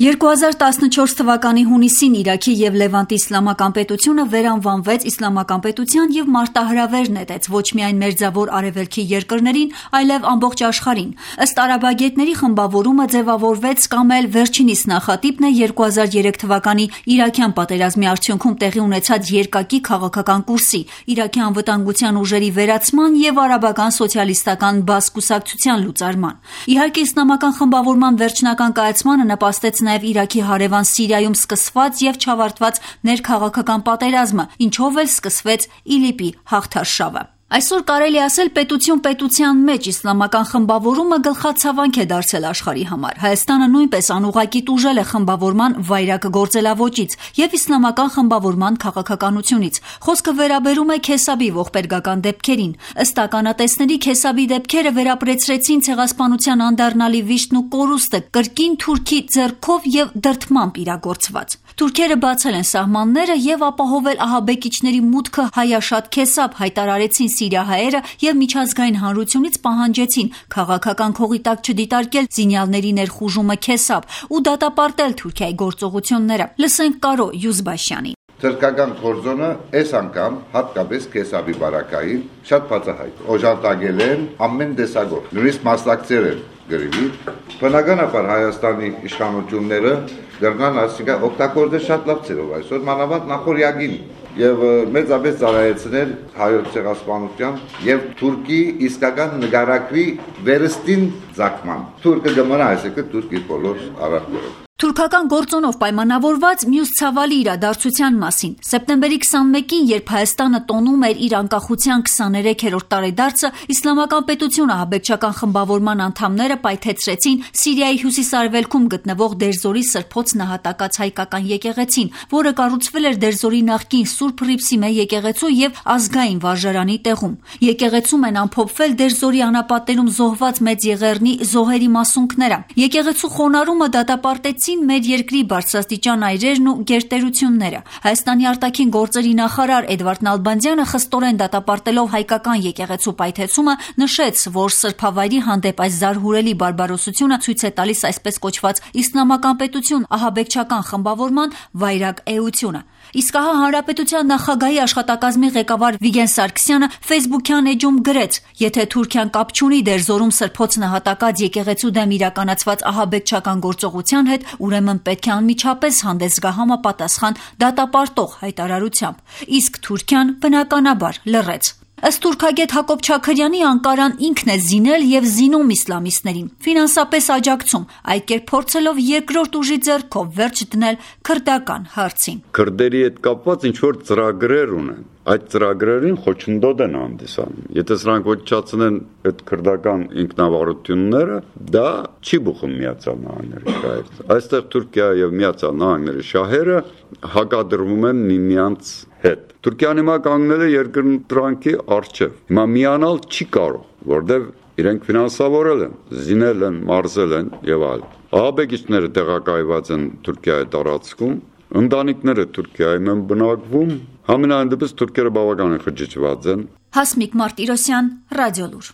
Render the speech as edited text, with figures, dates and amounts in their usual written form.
2014 թվականի հունիսին Իրաքի և Լևանտի իսլամական պետությունը վերանվանվեց իսլամական պետության և մարտահրավեր նետեց ոչ միայն մերձավոր արևելքի երկրներին, այլև ամբողջ աշխարհին։ Ըստ արաբագետների խմբավորումը ձևավորվեց կամ էլ վերջինիս նախատիպն է 2003 թվականի իրաքյան պատերազմի արդյունքում տեղի ունեցած երկակի քաղաքական կուրսի, Իրաքի անվտանգության ուժերի վերացման և արաբական սոցիալիստական բաց կուսակցության լուծարման։ Իհարկե, իսլամական խմբավորման վերջնական կայացմանը նպաստեց նաև Իրաքի հարևան Սիրիայում սկսված և չավարտված ներքաղաքական պատերազմը, ինչով էլ սկսվեց ԻԼԻՊ-ի հաղթարշավը։ Այսօր կարելի ասել պետություն պետության մեջ իսլամական խմբավորումը գլխացավանք է դարձել աշխարհի համար։ Հայաստանը նույնպես անուղղակի տուժել է խմբավորման վայրագ գործելավոճից և իսլամական խմբավորման քաղաքականությունից։ Խոսքը վերաբերում է Քեսաբի ողբերգական դեպքերին։ Ըստ ականատեսների, Քեսաբի դեպքերը վերապրեցրեցին ցեղասպանության անդառնալի վիշտն ու կորուստը կրկին թուրքի ձեռքով և դրդմամբ իրագործված։ Թուրքերը բացել են սահմանները և ապահովել ահաբեկիչների մուտքը հայաշատ Քեսաբ, հայտարարեցին սիրիահայերը և միջազգային հանրությունից պահանջեցին քաղաքական քողի տակ չդիտարկել զինյալների ներխուժումը Քեսաբ ու դատապարտել Թուրքիայի գործողությունները։ Լսենք Կարո Յուզբաշյանի։ Թրքական կորձոնը այս անգամ հատկապես Քեսաբի բարակային շատ բացահայտ օժանդակել են ամեն տեսակով, նույնիսկ մասնակցել են գրիվի։ Բնականաբար Հայաստանի իշխանությունները դրան ասիկա օգտագործել շատ լավ ծերով այսօր մանավանդ նախորյակին եւ մեծապես ծառայեցնել հայոց ցեղասպանության եւ Թուրքի իսկական նկարակվի վերստին ցակման։ Թուրքը գմնա այսինքն Թուրքի բոլոր արարքներով։ Թուրքական գործոնով պայմանավորված մյուս ցավալի իրադարձության մասին։ Սեպտեմբերի 21-ին, երբ Հայաստանը տոնում էր իր անկախության 23-րդ տարեդարձը, իսլամական պետությունը ահաբեկչական խմբավորման անդամները պայթեցրեցին Սիրիայի հյուսիս-արևելքում գտնվող Դերզորի սրբոց նահատակած հայկական եկեղեցին, որը կառուցվել էր Դերզորի նախկին Սուրբ Հռիփսիմե եկեղեցու եւ ազգային վարժարանի տեղում։ Եկեղեցում են ամփոփվել Դերզորի անապատերում զոհված մեծ եղեռնի զոհերի մասունքները։ Եկեղեցու խոնարհումը դատապարտեցին մեր երկրի բարձրաստիճան այրերն ու գերտերությունները։ Հայաստանի արտաքին գործերի նախարար Էդվարդ Նալբանդյանը խստորեն դատապարտելով հայկական եկեղեցու պայթեցումը նշեց, որ սրբավայրի հանդեպ այս զարհուրելի բարբարոսությունը ցույց է տալիս այսպես կոչված իսլամական պետություն ահաբեկչական խմբավորման վայրագ էությունը։ Իսկ ահա Հանրապետության նախագահի աշխատակազմի ղեկավար Վիգեն Սարգսյանը Facebook-յան էջում գրեց. «Եթե Թուրքիան կապ չունի Դերզորում սրբոց նահատակած եկեղեցու դեմ իրականացված ահաբեկչական գործողության հետ, ուրեմն պետք է անմիջապես հանդես գա համապատասխան դատապարտող հայտարարությամբ»։ Իսկ Թուրքիան բնականաբար լռեց։ Ըստ թուրքագետ Հակոբ Չաքրյանի, Անկարան ինքն է զինել և զինում իսլամիստներին, ֆինանսապես աջակցում, այդ կերպ փորձելով երկրորդ ուժի ձեռքով վերջ դնել քրդական հարցին։ Քրդերի հետ կապված ինչ-որ ծրագրեր ունեն, այդ ծրագրերին խոչընդոտ են հանդիսանում։ Եթե սրանք ոչնչացնեն այդ քրդական ինքնավարությունները, դա չի բուխում Միացյալ Նահանգների շահերից։ Այստեղ Թուրքիա եւ Միացյալ Նահանգների շահերը հակադրվում են միմյանց հետ։ Թուրքիան հիմա կանգնել է երկրընտրանքի առջև։ Հիմա միանալ չի կարող, որտեղ իրենք ֆինանսավորել են, զինել են, մարզել են եւ այլն։ Ահաբեկիչները տեղակայված են Թուրքիայի տարածքում, ընտանիքները Թուրքիայում են բնակվում, համենայն դեպս թուրքերը բավականին խճճված են։ Հասմիկ Մարտիրոսյան, Ռադիոլուր։